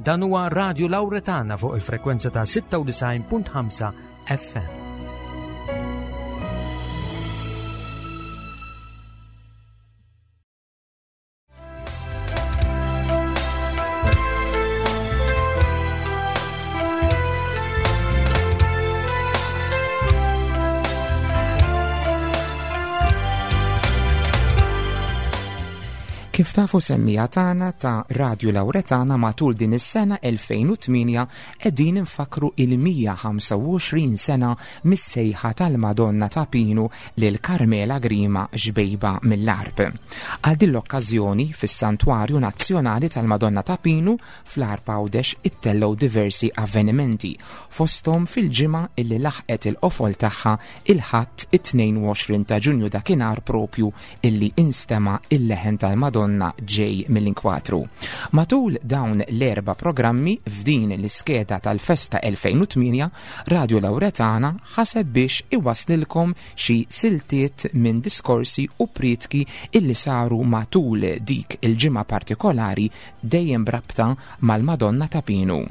Dan huwa Radio Lauretana fuq il-frekwenza ta' 96.5 FM. Kif tafu semmija tagħna ta' Radju Lauretana matul din is-sena 2008 qegħdin infakru il-125 sena mis-sejħa tal-Madonna ta' Pinu lil Carmela Grima xbejba mill-Għarb. Għal din l-okkażjoni fis-Santwarju Nazzjonali tal-Madonna ta' Pinu fl-Għarb Għawdex ittellgħu diversi avvenimenti, fosthom fil-ġimgħa illi laħqet il-qofol tagħha il-Ħadd it-22 ta' Ġunju dakinhar propju illi instema' il-leħen tal-Madonna ġej mill-inkwatru. Matul dawn l-erba' programmi f'din l-iskeda tal-Festa 2008, Radio Lauretana ħaseb biex iwasslilkom xi siltiet minn diskorsi u prietki illi saru matul dik il-ġimgħa partikolari dejjem b'rabta mal-Madonna ta' Pinu.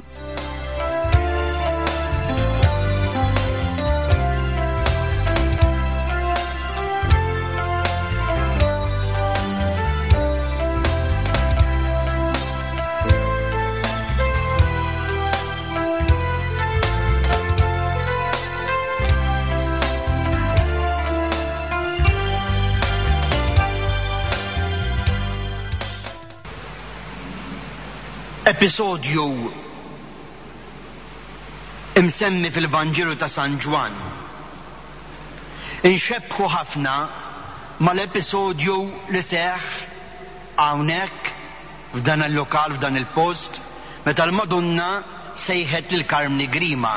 Episodju imsemmi fil-Vanġelu ta' San Ġwann. Inxebbħu ħafna mal-episodju li seħħ hawnhekk f'dan il-lokal, f'dan il-post, meta l-Madonna sejħet lil Karmni Grima.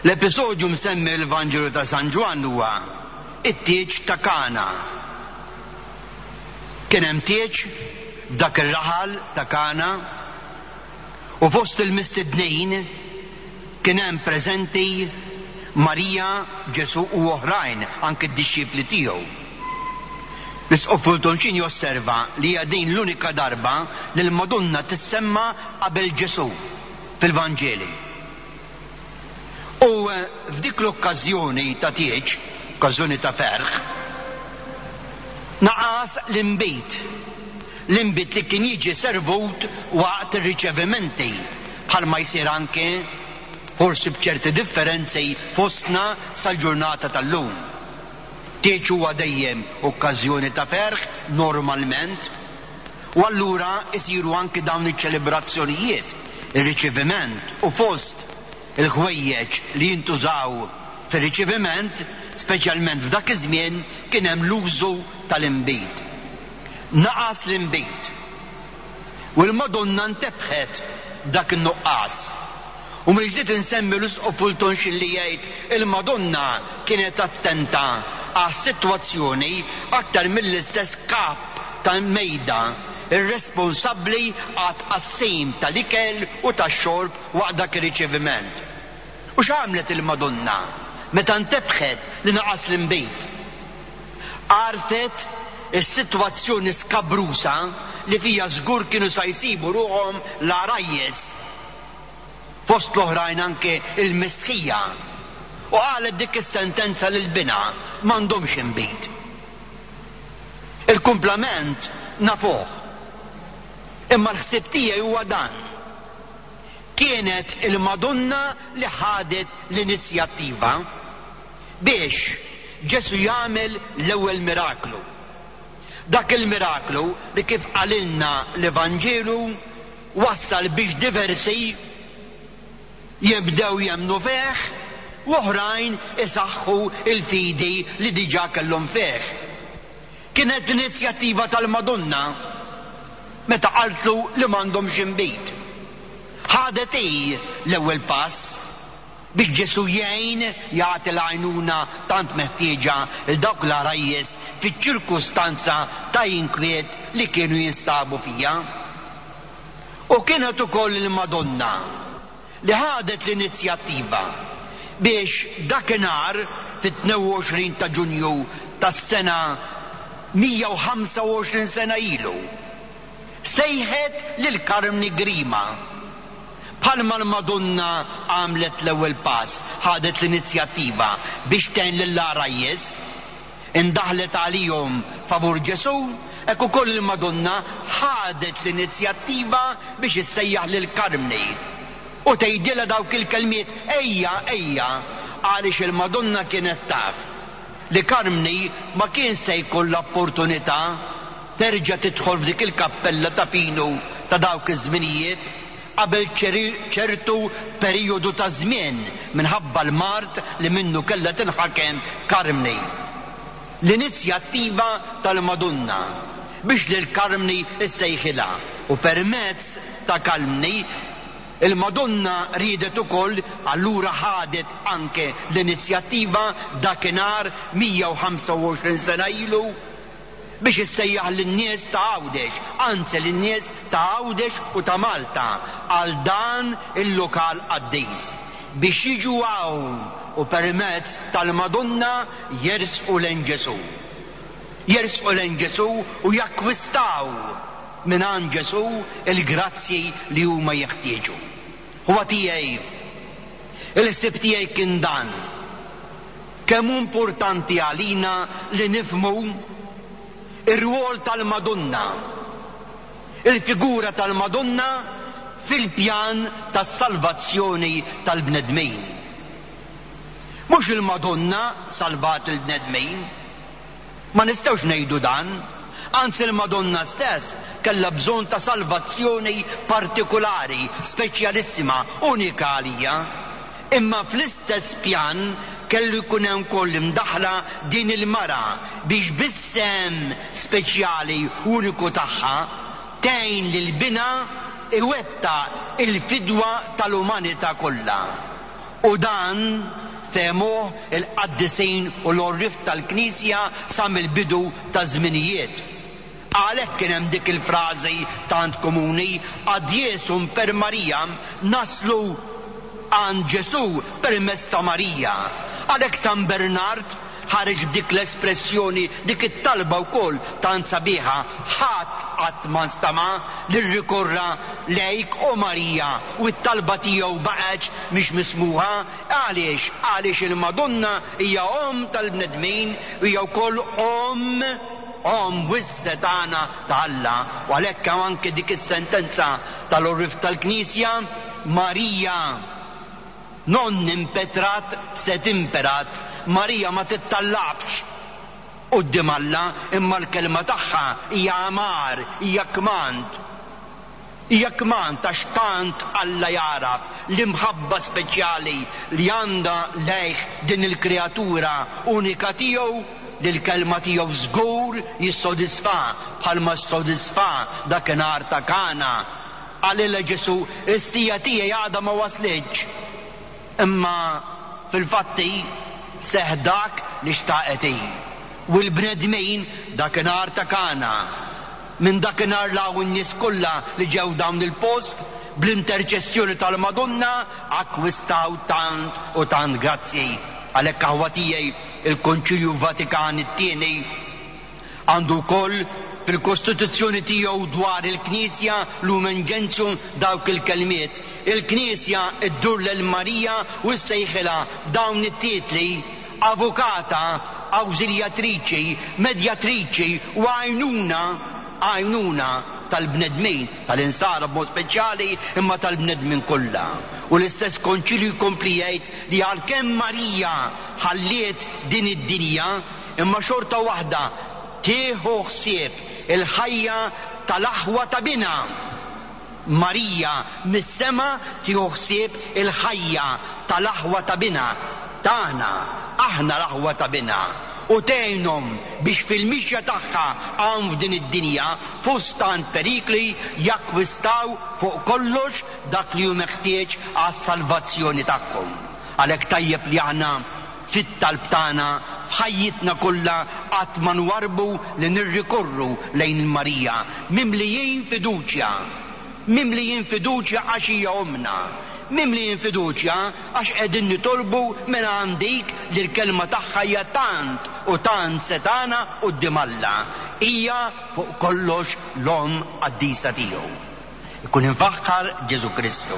L-episodju msemmi fil-Vanġelu ta' San Ġwann huwa t-tieġ ta' Kana. Kien hemm tieġ f'dak ir-raħal ta' Kana u fost il-mistednin kien hemm preżenti Marija, Ġesù u oħrajn, anki d-dixxipli tiegħu. L-Isqof Fulton Sheen josserva li hija din l-unika darba li l-Madonna tissemma qabel Ġesù fil-Vanġeli. U f'dik l-okkażjoni ta' tieġ, okkażjoni ta' ferħ, naqas l-inbid, l-inbid li kien jiġi servut waqt ir-riċevimenti, bħalma jsir anke, forsi b'ċerti differenzi, fostna sal-ġurnata tal-lum. Tieġ huwa dejjem okkażjoni ta' ferħ, normalment, u allura jsiru anki dawn iċ-ċelebrazzjonijiet, ir-riċeviment u fost il-ħwejjeġ li jintużaw fir-riċeviment, speċjalment f'dak iż-żmien, kien hemm l-użu tal-inbid. Naqas l-inbid. U l-Madonna ntebħet b'dak in-nuqqas. U mill-ġdid insemmi l-Isqof Fulton Sheen li jgħid il-Madonna kienet attenta għas-sitwazzjoni aktar mill-istess kap tal-mejda, ir-responsabbli għat-tqassim tal-ikel u tax-xorb waqt dak ir-riċeviment. U x'għamlet il-Madonna meta ntebħet li naqas l-inbid? Għarfet is-sitwazzjoni skabrusa li fiha żgur kienu sa jsibu ruħhom l-għarajjes, fost l-oħrajn anke l-mistħija, u qalet dik is-sentenza lil binha, M'għandhomx inbid. Il-kumplament nafuh. Imma l-ħsieb tiegħi huwa dan. Kienet il-Madonna li ħadet l-inizjattiva biex Ġesù jagħmel l-ewwel miraklu. Dak il-miraklu li kif qalilna l-Evanġelu wassal biex diversi jibdew jemmnu fih u oħrajn isaħħu l-fidi li diġà kellhom fih. Kienet l-inizjattiva tal-Madonna meta qaltlu li m'għandhomx inbid. Ħadet hi l-ewwel pass biex Ġesù jgħin jagħti l-għajnuna tant meħtieġa 'l dawk l-għarajjes fiċ-ċirkustanza ta' inkwiet li kienu jinstabu fiha. U kienet ukoll il-Madonna li ħadet l-inizjattiva biex dakinhar fit-22 ta' Ġunju tas-sena 125 sena ilu. Sejħet lil Karmni Grima. Bħalma l-Madonna għamlet l-ewwel pass, ħadet l-inizjattiva biex tgħin lill-għarajjes, indaħlet għalihom favur Ġesù, hekk ukoll il-Madonna ħadet l-inizjattiva biex issejjaħ lil Karmni u tgħidilha dawk il-kelmiet ejja, ejja, għaliex il-Madonna kienet taf li Karmni ma kien se jkollha opportunità terġa' tidħol f'dik il-kappella ta' Pinu ta' dawk iż-żminijiet qabel ċertu perijodu ta' żmien minħabba l-mard li minnu kellha tinħakem Karmni. L-inizjattiva tal-Madonna biex lil Karmni ssejħilha u permezz ta' Kalmni il-Madonna riedet ukoll allura ħadet anke l-inizjattiva dakinhar 125 sena ilu biex issejjaħ lin-nies ta' Għawdex, anzi lin-nies ta' Għawdex u ta' Malta għal dan il-lokal qaddis, biex jiġu hawn u permezz tal-Madonna jersqu lejn Ġesù. Jersqu lejn Ġesù u jakkwistaw mingħand Ġesù l-grazzji li huma jeħtieġu. Ħuwa tiegħi, il-ħsieb tiegħi kien dan. Kemm hu importanti għalina li nifhmu r-rwol tal-Madonna, il-figura tal-Madonna fil-pjan tas-salvazzjoni tal-bnedmin. Mhux il-Madonna salvat il-bnedmin. Ma nistgħux ngħidu dan. Anzi l-Madonna stess kellha bżonn ta' salvazzjoni partikulari, speċjalissima, unika għalija. Imma fl-istess pjan kellu jkun hemm ukoll imdaħħla din il-mara biex bis-sehem speċjali uniku tagħha tgħin lil binha iwettaq il-fidwa tal-umanità kollha. U dan fehmuh il-qaddisin u l-għorrief tal-Knisja sa mill-bidu taż-żminijiet. Għalhekk kien hemm dik il-frażi tant komuni, Ad Jesum per Mariam, naslu għand Ġesù permezz ta' Marija. Għalhekk San Bernard ħareġ b'dik l-espressjoni, dik it-talba wkoll tant sabiħa, Ħadd qatt ma nstama' li rrikorra lejk, o Marija, u t-talba tiegħu baqgħetx mhix mismugħa. Għaliex? Għaliex il-Madonna hija Omm tal-bnedmin u hija wkoll Omm Omm wisq-setgħana ta' Alla, u għalhekk hawn anke dik is-sentenza tal-għorrief tal-Knisja, Marija non impetrat sed imperat, Marija ma tittallabx quddiem Alla, imma l-kelma tagħha hija amar, hija kmand. Hija kmand għax tant Alla jagħraf l-imħabba speċjali li għandha lejh din il-kreatura unika tiegħu li l-kelma tiegħu żgur jissodisfa bħalma ssodisfa dakinhar ta' Kana. Qalilha Ġesù, Is-siegħa tiegħi għadha ma waslitx. Imma fil-fatti seħħ dak li xtaqet hi. U l-bnedmin dakinhar ta' Kana Minn dakinhar 'l hawn in-nies kollha li ġew dawn il-post, bl-interċessjoni tal-Madonna, akkwistaw tant u tant grazzji. Għalhekk aħwa tiegħi, il-Konċilju Vatikan it-Tieni għandu wkoll fil-Kostituzzjoni tiegħu dwar il-Knisja, Lumen Gentium, dawk il-kelmiet, Il-Knisja ddur lil Marija u ssejħilha b'dawn it-titli, Avukata, awżiljatriċi, medjatriċi u għajnuna, għajnuna tal-bnedmin, tal-insara b'mod speċjali, imma tal-bnedmin kollha. U l-istess Konċilju jkompli jgħid li għalkemm Marija ħalliet din id-dinja, imma xorta waħda tieħu ħsieb il-ħajja tal-aħwa ta' binha. Marija mis-sema tieħu ħsieb il-ħajja tal-aħwa ta' binha, tagħna, aħna l-aħwa ta' binha, u tgħinhom biex fil-mixja tagħha hawn f'din id-dinja fost tant perikli jakkwistaw fuq kollox dak li hu meħtieġ għas-salvazzjoni tagħhom. Għalhekk tajjeb li aħna fit-talb tagħna, f'ħajjitna kollha qatt ma nwarrbu li nirrikorru lejn Marija, mimlijin fiduċja. Mimlijin fiduċja għax hija ommna. Mimlijin fiduċja għax qegħdin nitolbu mingħand dik li l-kelma tagħha hija tant u tant setgħana quddiem Alla. Hija fuq kollox l-Omm qaddisa tiegħu. Ikun imfaħħar Ġesù Kristu.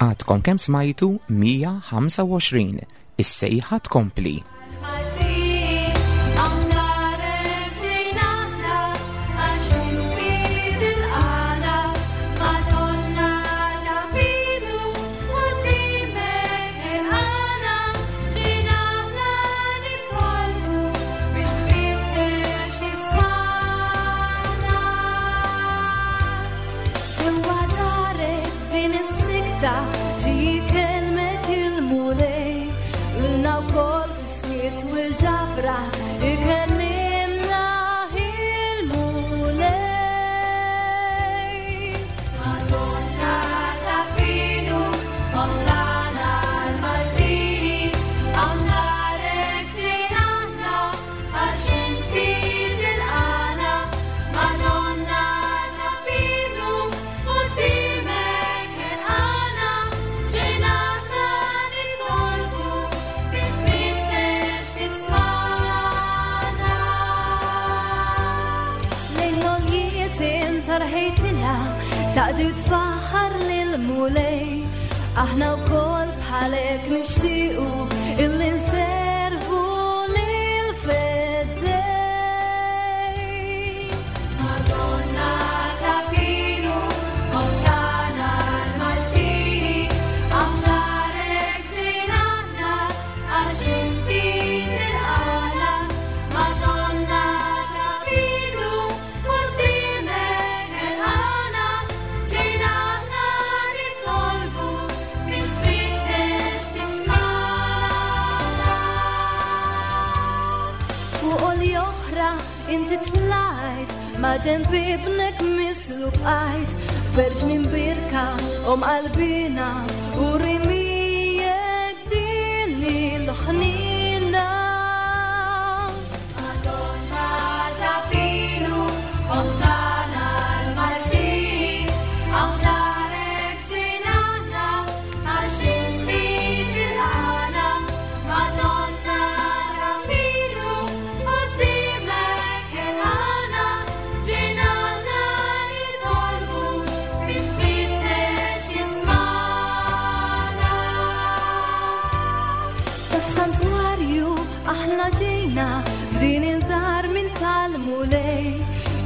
Għadkom kemm smajtu 125 is-sejħa tkompli. Taqdi u tfaħħar lill-Mulej, aħna wkoll bħalek nixtiequ illi nservu lill-Feddej. Madonna ta' Pinu, Omm tagħna l-Maltin, hawn darek ġejna aħna għax inti tilqagħna. Madonna ta' Pinu, quddiemek ħerqana, ġejna aħna nitolbu biex tfittex tismagħna. Fuq għolja oħra inti tlajt, ma' ġenb ibnek mislub bqajt, Verġni mbirka om qalbina u rimijek din l-ħnina. Madonna ta' Pinu, Omm tagħna l-Maltin, hawn darek ġejna aħna għax inti tilqagħna. Madonna ta' Pinu, quddiemek ħerqana, ġejna aħna nitolbu biex tfittex tismagħna. Tas-santwarju aħna ġejna f'din il-dar minn tal-Mulej,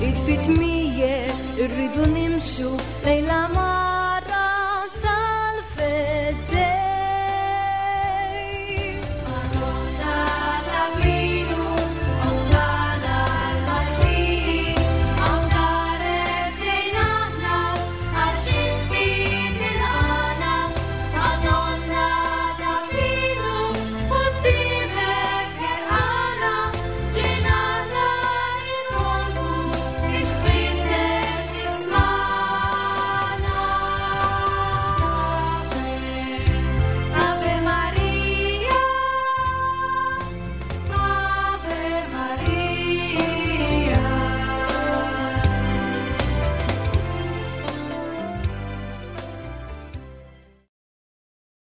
id fit miegħek irridu nimxu lejla ma